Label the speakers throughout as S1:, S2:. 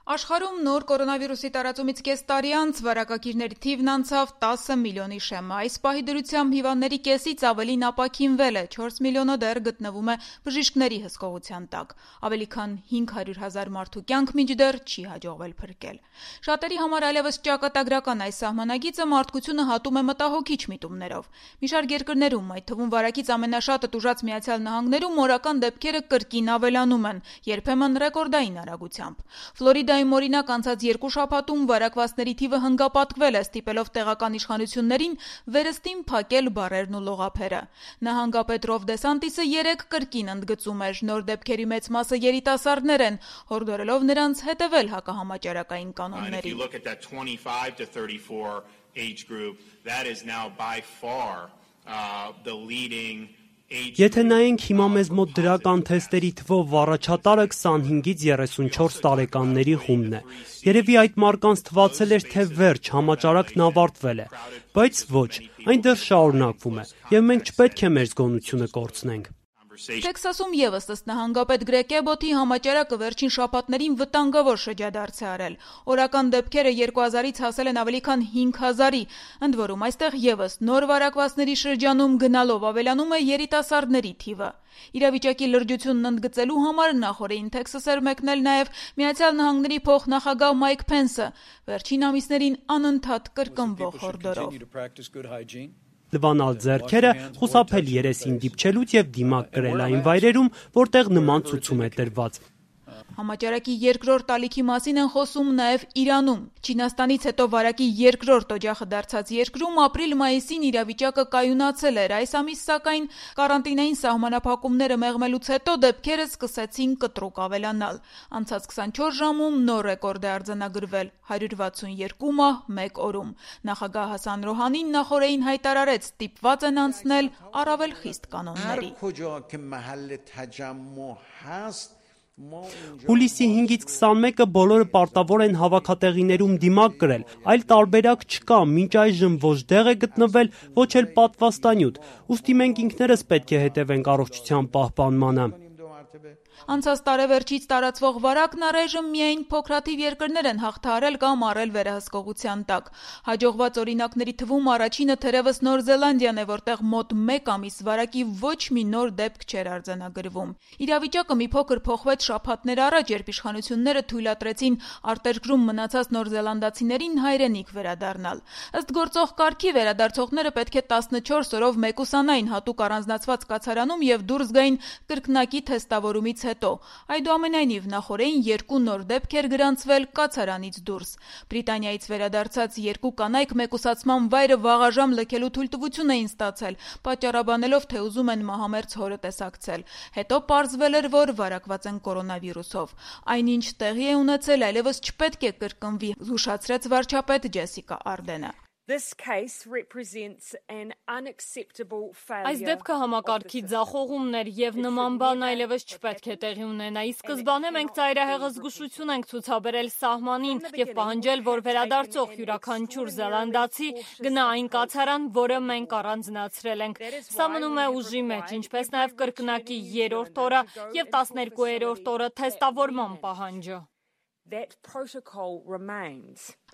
S1: Աշխարհում նոր կորոնավիրուսի տարածումից կես տարի անց վարակակիրների թիվն անցավ 10 միլիոնի շեմը։ Այս պահի դրությամբ հիվանդների կեսից ավելին ապաքինվել է, 4 միլիոնը դեռ գտնվում է բժիշկների հսկողության տակ։ Ավելի քան 500,000 մարդու կյանք մինչդեռ չի հաջողվել փրկել։ Շատերի համար այլևս ճակատագրական այս սահմանագիծը մարդկությունը հատում է մտահոգիչ միտումներով։ Մի շարք երկրներում, այդ թվում վարակից ամենաշատը տուժած Միացյալ Նահանգներում, օրական դեպքերը կրկին ավելանում են, երբեմն ռեկորդային արագությամբ։ Ֆլորիդայում օրինակ անցած 2 շաբաթում վարակվածների թիվը հնգապատկվել է, ստիպելով տեղական իշխանություններին վերստին փակել բարերն ու լողափերը։ Նահանգապետ Ռոն Դեսանտիսը 3 կրկին ընդգծում էր, նոր դեպքերի մեծ մասը երիտասարդներ են, հորդորելով նրանց հետևել հակահամաճարակային կանոններին։
S2: Եթե նայենք հիմա մեզ մոտ դրական թեստերի թվով առաջատարը 25-ից 34 տարեկանների խումբն է։ Երևի այդ մարդկանց թվացել էր, թե վերջ, համաճարակն ավարտվել է, բայց ոչ, այն դեռ շարունակվում է, եւ մենք չպետք է մեր զգոնությունը կորցնենք։
S1: Տեքսասում ևս ըստ նահանգապետ Գրեգ Էբոթի համաճարակը վերջին շաբաթներին վտանգավոր շրջադարձ է արել։ Օրական դեպքերը 2000-ից հասել են ավելի քան 5000-ի, ընդ որում այստեղ ևս նոր վարակվածների շրջանում գնալով ավելանում է երիտասարդների թիվը։ Իրավիճակի լրջությունն ընդգծելու համար նախորդին Տեքսաս էր մեկնել նաև Միացյալ Նահանգների փոխնախագահ Մայք Փենսը, վերջին ամիսներին անընդհատ կրկնվող հորդորով։
S2: Լվանալ ձեռքերը, խուսափել երեսին դիպչելուց եւ դիմակ կրել այն վայրերում, որտեղ նման ցուցում է տրված։
S1: Համաճարակի երկրորդ ալիքի մասին են խոսում նաև Իրանում։ Չինաստանից հետո վարակի երկրորդ օջախը դարձած երկրում ապրիլ-մայիսին իրավիճակը կայունացել էր։ Այս ամիս սակայն կարանտինային սահմանափակումները մեղմելուց հետո դեպքերը սկսեցին կտրուկ ավելանալ։ Անցած 24 ժամում նոր ռեկորդ է արձանագրվել՝ 162 մահ 1 օրում։ Նախագահ Հասան Ռոհանին նախորդին հայտարարեց, ստիպված են անցնել առավել խիստ կանոնների։
S2: Հուլիսի 5-ից 21-ը բոլորը պարտավոր են հավաքատեղիներում դիմակ կրել, այլ տարբերակ չկա, մինչ այժմ ոչ դեղ է գտնվել, ոչ էլ պատվաստանյութ, ուստի մենք ինքներս պետք է հետևենք առողջության պահպանմանը։
S1: Անցած տարեվերջից տարածվող վարակն առայժմ միայն փոքրաթիվ երկրներ են հաղթահարել կամ առել վերահսկողության տակ։ Հաջողված օրինակների թվում առաջինը թերևս Նոր Զելանդիան է, որտեղ մոտ 1 ամիս վարակի ոչ մի նոր դեպք չէր արձանագրվում։ Իրավիճակը մի փոքր փոխվեց շաբաթներ առաջ, երբ իշխանությունները թույլատրեցին արտերկրում մնացած նորզելանդացիներին հայրենիք վերադառնալ։ Ըստ գործող կարգի վերադարձողները պետք է 14 օրով մեկուսանային հատուկ առանձնացված կացարանում եւ դուրս գային կրկնակի թեստավորումից հետո։ Այդուամենայնիվ նախորդին 2 նոր դեպք էր գրանցվել կացարանից դուրս։ Բրիտանիայից վերադարձած 2 կանայք մեկուսացման վայրը վաղաժամ լքելու թույլտվություն էին ստացել, պատճառաբանելով, թե ուզում են մահամերձ հորը տեսակցել։ Հետո պարզվել էր, որ վարակված են կորոնավիրուսով։ Այնինչ տեղի է ունեցել, այլևս չպետք է կրկնվի, զգուշացրեց վարչապետ Ջեսիկա Արդենը։
S3: Այս դեպքը համակարգի ձախողումն էր եւ նման բան այլևս չպետք է տեղի ունենա։ Ի սկզբանե մենք ծայրահեղը զգուշություն ենք ցուցաբերել սահմանին եւ պահանջել, որ վերադարձող յուրաքանչյուր զելանդացի գնա այն կացարան, որը մենք առանձնացրել ենք։ Սա մնում է ուժի մեջ, ինչպես նաեւ կրկնակի 3-րդ օրը եւ 12-րդ օրը թեստավորման պահանջը։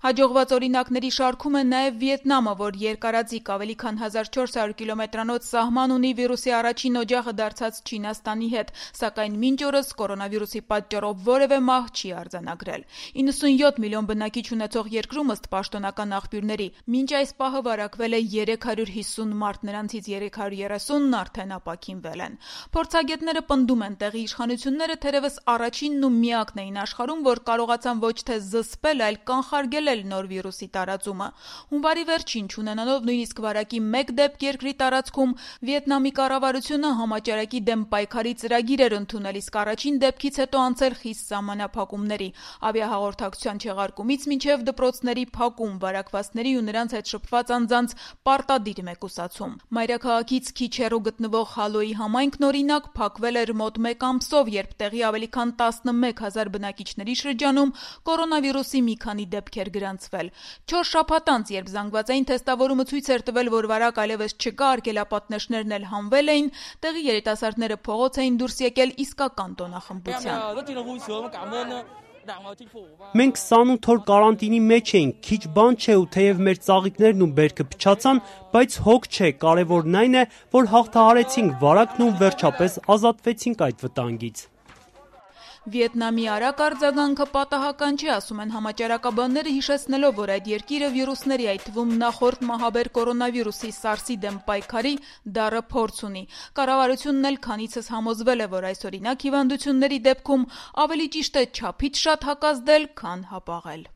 S1: Հաջողված օրինակների շարքում է նաև Վիետնամը, որ երկարաձիգ ավելի քան 1400 կիլոմետրանոց սահման ունի վիրուսի առաջին օջախը դարձած Չինաստանի հետ, սակայն մինչ օրս կորոնավիրուսի պատճառով որևէ մահ չի արձանագրել։ 97 միլիոն բնակիչ ունեցող երկրում ըստ պաշտոնական աղբյուրների մինչ այս պահը վարակվել է 350 մարդ, նրանցից 330-ն արդեն ապաքինվել են։ Փորձագետները պնդում են, տեղի իշխանությունները թերևս առաջինն ու միակն էին աշխարհում, որ կարողացան ոչ թե զսպել, այլ կանխարգելել նոր վիրուսի տարածումը։ Հունվարի վերջին չունենալով նույնիսկ վարակի 1 դեպք երկրի տարածքում, Վիետնամի կառավարությունը համաճարակի դեմ պայքարի ծրագիր էր ընդունել, իսկ առաջին դեպքից հետո անցել խիստ սահմանափակումների, ավիահաղորդակցության չեղարկումից մինչև դպրոցների փակում, վարակվածների ու նրանց հետ շփված անձանց պարտադիր մեկուսացում։ Մայրաքաղաքից քիչ հեռու գտնվող Հալոյի համայնքն օրինակ փակվել էր մոտ 1 ամսով, երբ տեղի ավելի քան 11000 բնակիչների շրջանում կորոնավիրուսի մի քանի դեպք էր գրանցվել։ 4 շաբաթ անց, երբ զանգվածային թեստավորումը ցույց էր տվել, որ վարակ այլևս չկա, արգելապատնեշներն էլ հանվել էին, տեղի երիտասարդները փողոց էին դուրս եկել իսկական տոնախմբության։
S2: Մենք 28 օր կարանտինի մեջ էինք, քիչ բան չէ ու թեև մեր ծաղիկներն ու բերքը փչացան, բայց հոգ չէ, կարևորն այն է, որ հաղթահարեցինք վարակն ու վերջապես ազատվեցինք այդ վտանգից։
S1: Վիետնամի արագ արձագանքը պատահական չի, ասում են համաճարակաբանները, հիշեցնելով, որ այդ երկիրը վիրուսների, այդ թվում նախորդ մահաբեր կորոնավիրուսի SARS-ի դեմ պայքարի դառը փորձ ունի։ Կառավարությունն էլ քանիցս համոզվել է, որ այսօրինակ հիվանդությունների դեպքում ավելի ճիշտ է չափից շատ հակազդել, քան հապաղել։